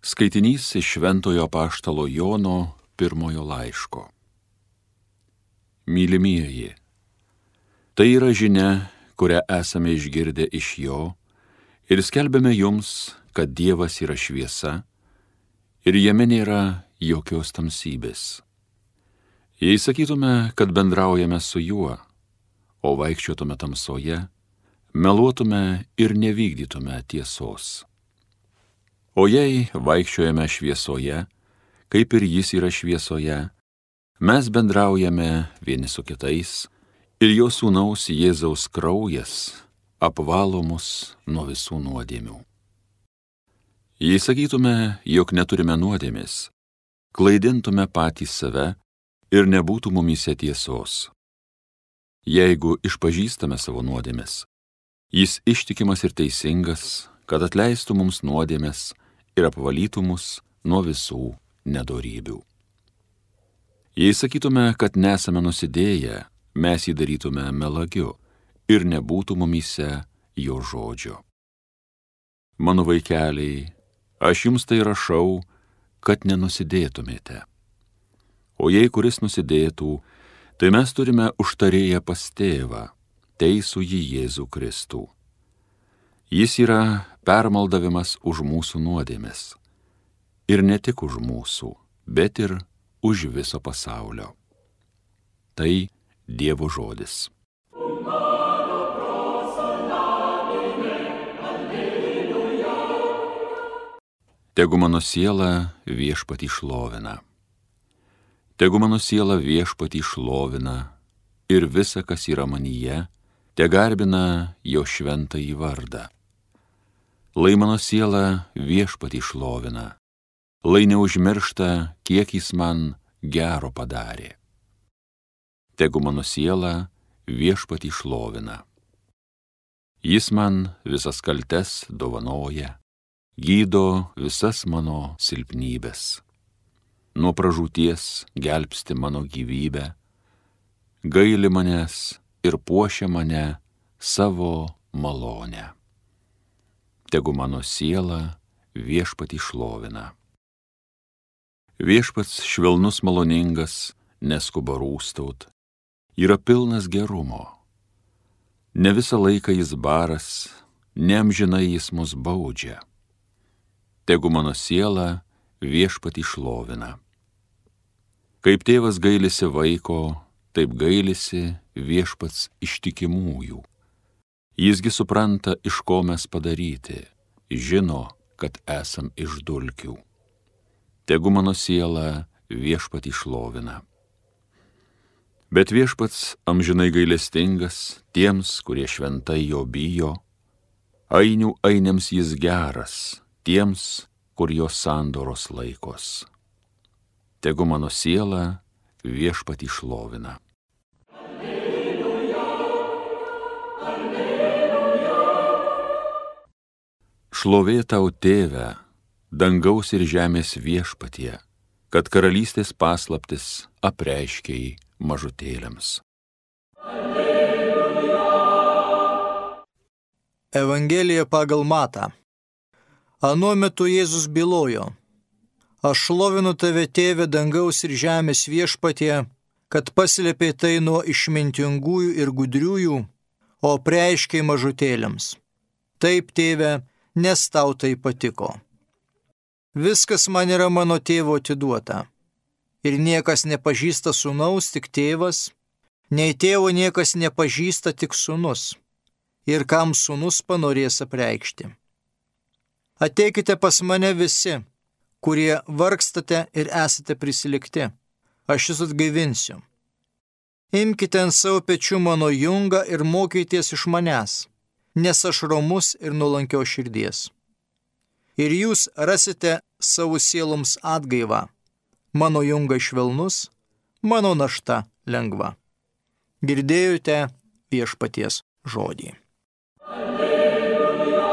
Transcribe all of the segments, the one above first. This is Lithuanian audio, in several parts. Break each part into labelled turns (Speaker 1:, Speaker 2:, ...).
Speaker 1: Skaitinys iš Šventojo apaštalo Jono pirmojo laiško. Mylimieji, tai yra žinia, kurią esame išgirdę iš jo ir skelbiame jums, kad Dievas yra šviesa ir jame nėra jokios tamsybės. Jei sakytume, kad bendraujame su juo, o vaikščiotume tamsoje, meluotume ir nevykdytume tiesos. O jei vaikščiojame šviesoje, kaip ir jis yra šviesoje, mes bendraujame vieni su kitais ir jo sūnaus Jėzaus kraujas apvalo mus nuo visų nuodėmių. Jei sakytume, jog neturime nuodėmės, klaidintume patys save ir nebūtų mumyse tiesos. Jeigu išpažįstame savo nuodėmes, jis ištikimas ir teisingas, kad atleistų mums nuodėmes ir apvalytų mus nuo visų nedorybių. Jei sakytume, kad nesame nusidėję, mes jį darytume melagiu ir nebūtų mumyse jo žodžio. Mano vaikeliai, aš jums tai rašau, kad nenusidėtumėte. O jei kuris nusidėtų, tai mes turime užtarėję pas tėvą, teisų jį Jėzų Kristų. Jis yra permaldavimas už mūsų nuodėmes. Ir ne tik už mūsų, bet ir už viso pasaulio. Tai Dievo žodis. Tegu mano siela Viešpatį šlovina. Tegu mano siela Viešpatį šlovina ir visa, kas yra manyje, tegarbina jo šventąjį vardą. Lai mano siela Viešpatį šlovina, lai neužmiršta, kiek jis man gero padarė. Tegu mano siela Viešpatį šlovina. Jis man visas kaltes dovanoja, gydo visas mano silpnybes. Nuo pražūties gelbsti mano gyvybę, gaili manęs ir puošia mane savo malonę. Tegu mano siela Viešpatį šlovina. Viešpats švelnus maloningas, neskuba rūstaut, yra pilnas gerumo. Ne visą laiką jis baras, neamžinai jis mus baudžia. Tegu mano siela Viešpatį šlovina. Kaip tėvas gailisi vaiko, taip gailisi Viešpats ištikimųjų. Jisgi supranta, iš ko mes padaryti, žino, kad esam iš dulkių. Tegu mano siela Viešpatį šlovina. Bet Viešpats amžinai gailestingas tiems, kurie šventai jo bijo, ainių ainiams jis geras, tiems, kur jo sandoros laikos. Tegu mano siela Viešpatį šlovina. Šlovė tau, Tėve, dangaus ir žemės Viešpatie, kad karalystės paslaptis apreiškei mažutėliams.
Speaker 2: Evangelija pagal Matą. Anuo metu Jėzus bylojo: Aš šlovinu tave, Tėve, dangaus ir žemės Viešpatie, kad paslėpei tai nuo išmintingųjų ir gudriųjų, o apreiškei mažutėliams. Taip, Tėve, nes tau tai patiko. Viskas man yra mano tėvo atiduota. Ir niekas nepažįsta sūnaus, tik tėvas, nei tėvo niekas nepažįsta, tik sūnus. Ir kam sūnus panorės apreikšti. Ateikite pas mane visi, kurie vargstate ir esate prisilikti. Aš jūs atgaivinsiu. Imkite ant savo pečių mano jungą ir mokykitės iš manęs, nes aš romus ir nuolankios širdies. Ir jūs rasite savo sieloms atgaivą. Mano jungas švelnus, mano našta lengva. Girdėjote Viešpaties žodį. Alleluja.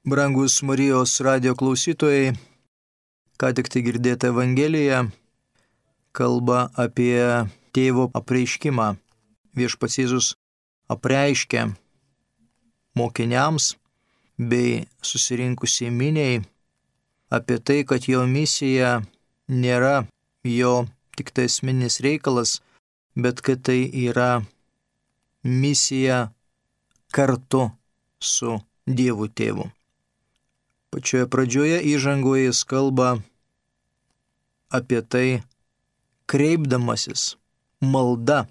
Speaker 2: Brangus Marijos radijo klausytojai, ką tik tai girdėta Evangelija kalba apie tėvo apreiškimą. Viešpats Jėzus apreiškia mokiniams bei susirinkusiai miniai apie tai, kad jo misija nėra jo tik tai esminis reikalas, bet kad tai yra misija kartu su Dievu Tėvu. Pačioje pradžioje įžangoje jis kalba apie tai, kreipdamasis malda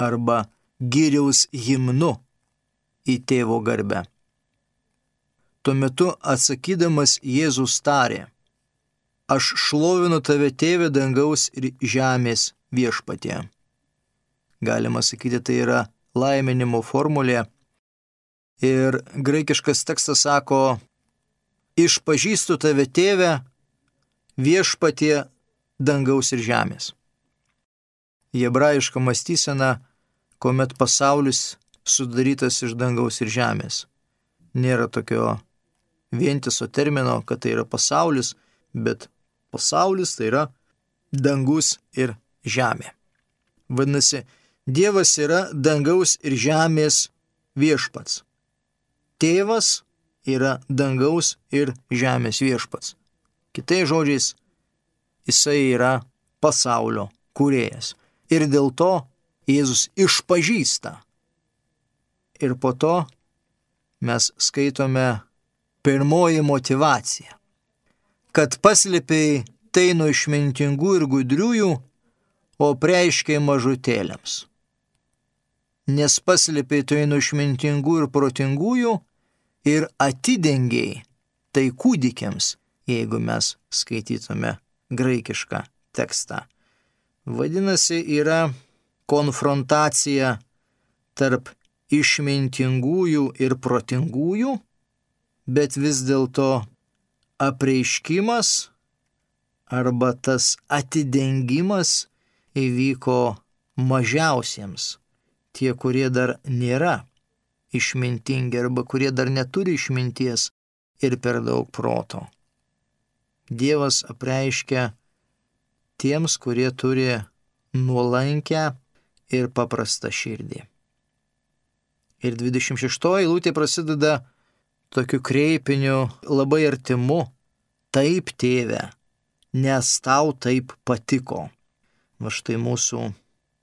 Speaker 2: arba gyriaus himnu į Tėvo garbę. Tuo metu atsakydamas Jėzus tarė: Aš šlovinu tave, Tėve, dangaus ir žemės viešpatie. Galima sakyti, tai yra laiminimo formulė. Ir graikiškas tekstas sako: Išpažįstu tave, Tėve, viešpatie dangaus ir žemės. Hebrajiška mąstysena, kuomet pasaulis sudarytas iš dangaus ir žemės. Nėra tokio vientiso termino, kad tai yra pasaulis, bet pasaulis tai yra dangus ir žemė. Vadinasi, Dievas yra dangaus ir žemės viešpats. Tėvas yra dangaus ir žemės viešpats. Kitais žodžiais, jisai yra pasaulio kūrėjas. Ir dėl to Jėzus išpažįsta. Ir po to mes skaitome pirmoji motyvacija. Kad paslėpei tai nuo išmintingų ir gudriųjų, o preiškei mažutėliams. Nes paslėpei tai nuo išmintingų ir protingųjų ir atidengiai tai kūdikiams, jeigu mes skaitytume graikišką tekstą. Vadinasi, yra konfrontacija tarp išmintingųjų ir protingųjų, bet vis dėlto apreiškimas arba tas atidengimas įvyko mažiausiems, tie, kurie dar nėra išmintingi arba kurie dar neturi išminties ir per daug proto. Dievas apreiškia tiems, kurie turi nuolankę ir paprastą širdį. Ir 26 eilutė prasideda tokiu kreipiniu labai artimu: Taip, Tėve, nes tau taip patiko. Va štai mūsų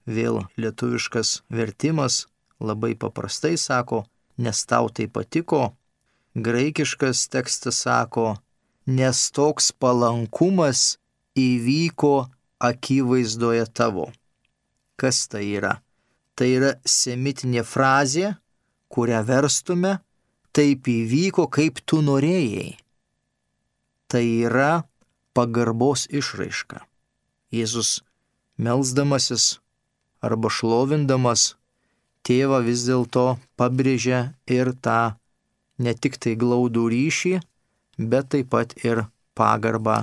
Speaker 2: vėl lietuviškas vertimas labai paprastai sako: nes tau tai patiko. Graikiškas tekstas sako: nes toks palankumas įvyko akivaizdoje tavo. Kas tai yra? Tai yra semitinė frazė, kurią verstume: taip įvyko, kaip tu norėjai. Tai yra pagarbos išraiška. Jėzus melsdamasis arba šlovindamas Tėvą vis dėlto pabrėžia ir tą ne tik tai glaudų ryšį, bet taip pat ir pagarbą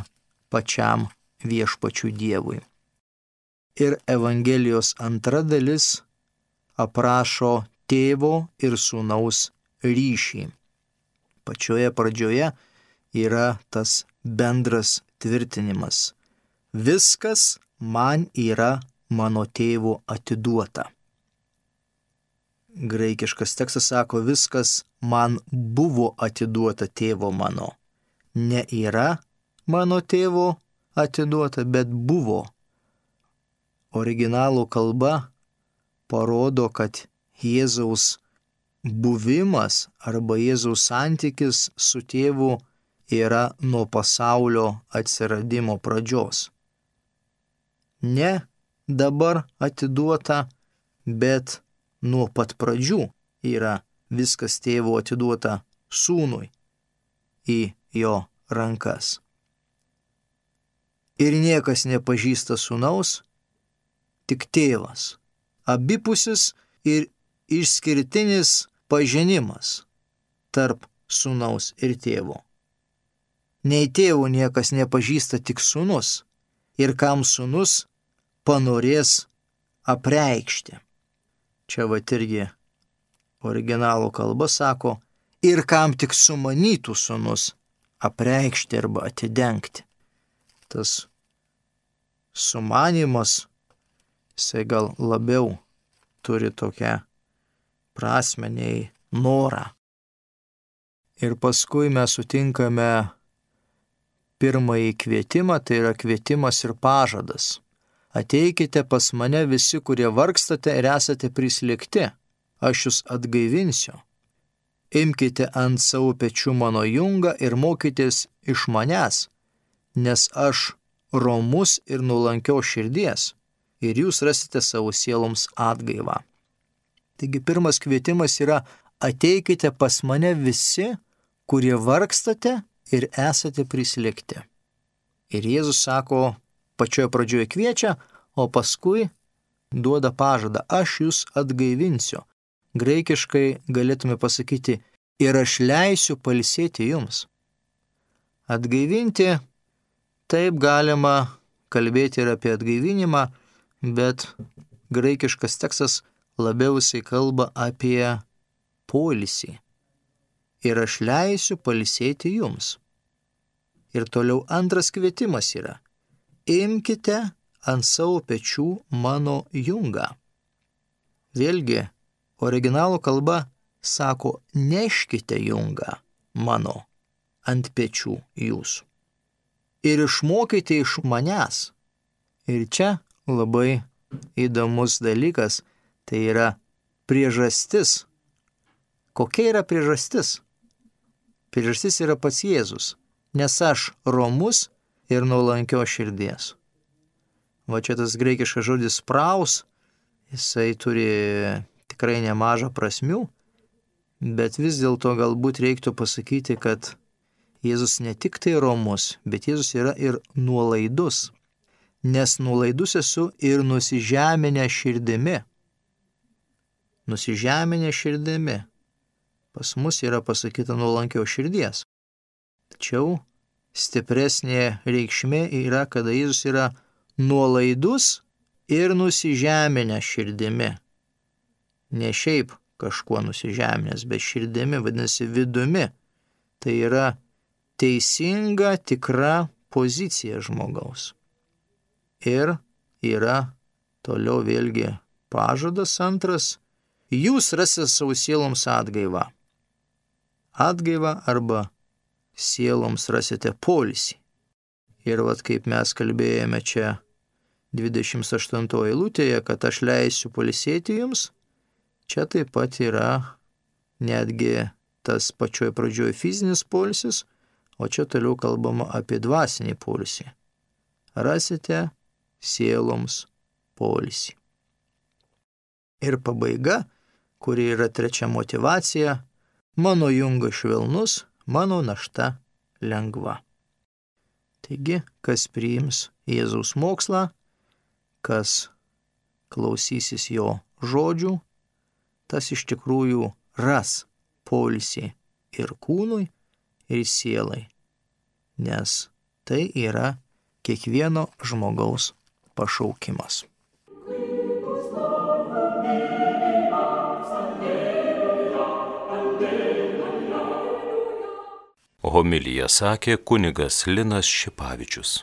Speaker 2: pačiam viešpačiui Dievui. Ir Evangelijos antra dalis aprašo tėvo ir sūnaus ryšį. Pačioje pradžioje yra tas bendras tvirtinimas: viskas man yra mano tėvo atiduota. Graikiškas tekstas sako: viskas man buvo atiduota tėvo mano. Ne yra mano tėvo atiduota, bet buvo. Originalų kalba parodo, kad Jėzaus buvimas arba Jėzaus santykis su tėvu yra nuo pasaulio atsiradimo pradžios. Ne dabar atiduota, bet nuo pat pradžių yra viskas tėvo atiduota sūnui į jo rankas. Ir niekas nepažįsta sūnaus, tik tėvas. Abipusis ir išskirtinis pažinimas tarp sūnaus ir tėvo. Nei tėvo niekas nepažįsta, tik sūnus, ir kam sūnus panorės apreikšti. Čia va irgi originalų kalba sako: ir kam tik sumanytų sūnus apreikšti arba atidengti. Tas sumanimas, jisai gal labiau turi tokią prasmę nei norą. Ir paskui mes sutinkame pirmąjį kvietimą, tai yra kvietimas ir pažadas. Ateikite pas mane visi, kurie vargstate ir esate prislėgti, aš jūs atgaivinsiu. Imkite ant savo pečių mano jungą ir mokykitės iš manęs, nes aš romus ir nuolankios širdies, ir jūs rasite savo sieloms atgaivą. Taigi pirmas kvietimas yra: ateikite pas mane visi, kurie vargstate ir esate prislėgti. Ir Jėzus sako, pačioje pradžioje kviečia, o paskui duoda pažadą: aš jūs atgaivinsiu. Graikiškai galėtume pasakyti: ir aš leisiu pailsėti jums. Atgaivinti, taip galima kalbėti ir apie atgaivinimą, bet graikiškas tekstas labiau jisai kalba apie poilsį. Ir aš leisiu pailsėti jums. Ir toliau antras kvietimas yra: imkite ant savo pečių mano jungą. Vėlgi, originalo kalba sako: neškite jungą mano ant pečių jūsų. Ir išmokite iš manęs. Ir čia labai įdomus dalykas, tai yra priežastis. Kokia yra priežastis? Priežastis yra pats Jėzus, nes aš romus ir nuolankios širdies. Va čia tas graikiškas žodis praus, jisai turi tikrai nemažą prasmių, bet vis dėlto galbūt reiktų pasakyti, kad Jėzus ne tik tai romus, bet Jėzus yra ir nuolaidus, nes nuolaidus esu ir nusižeminę širdimi. Nusižeminę širdimi. Pas mus yra pasakyta nuolankios širdies. Tačiau stipresnė reikšmė yra, kada Jėzus yra nuolaidus ir nusižeminę širdimi. Ne šiaip kažkuo nusižeminęs, bet širdimi, vadinasi vidumi. Tai yra teisinga, tikra pozicija žmogaus. Ir yra toliau vėlgi pažadas antras: jūs rasite savo sieloms atgaivą. Atgaivą arba sieloms rasite poilsį. Ir vat kaip mes kalbėjome čia 28 eilutėje, kad aš leisiu pailsėti jums, čia taip pat yra netgi tas pačioj pradžioj fizinis poilsis, o čia toliau kalbama apie dvasinį poilsį. Rasite sieloms poilsį. Ir pabaiga, kuri yra trečia motyvacija: mano jungas švelnus, mano našta lengva. Taigi, kas priims Jėzaus mokslą, kas klausysis jo žodžių, tas iš tikrųjų ras poilsį ir kūnui, ir sielai, nes tai yra kiekvieno žmogaus pašaukimas.
Speaker 3: Homiliją sakė kunigas Linas Šipavičius.